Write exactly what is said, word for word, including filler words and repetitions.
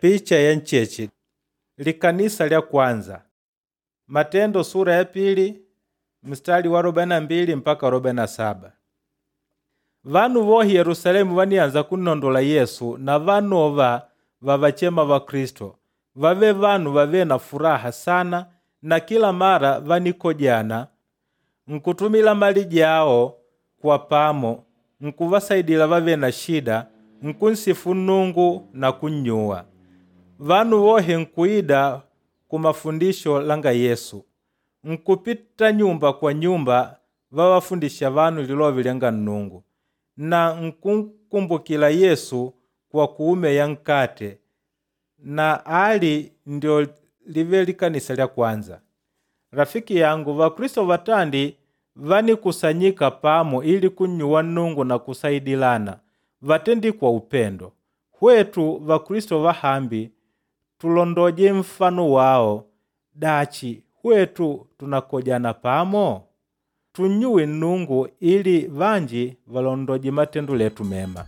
Picha ya ncheche likanisa lya kwanza Matendo sura ya pili mstari wa arobaini na mbili mpaka arobaini na saba. Vanu vohi Yerusalemu vanianza kunnondola Yesu na vanova vavachema Vakristo, vave vanu vavêle na furaha sana na kila mara vanikojana, nkutumila mali jao kwa pamo, nkuvasaidila vavêle na shida, nkunsifu Nnungu na kunnyuwa. Vanu vohe nkuida kumafundisho langa Yesu, nkupita nyumba kwa nyumba vavafundisha vanu lilove lyanga Nnungu na nkunkumbukila Yesu kwa kuumeya nkate na ali ndio live likanisa lya kwanza. Rafiki yangu, Vakristo vatandi vanikusanyika pamo ili kunnyuwa Nnungu na kusaidilana, vatendi kwa upendo. Hwetu Vakristo vahambi tulondoje nfano wao, dachi hwetu tunakojana pamo? Tunnyuwe Nnungu ili vanji valondoje matendo letu mema.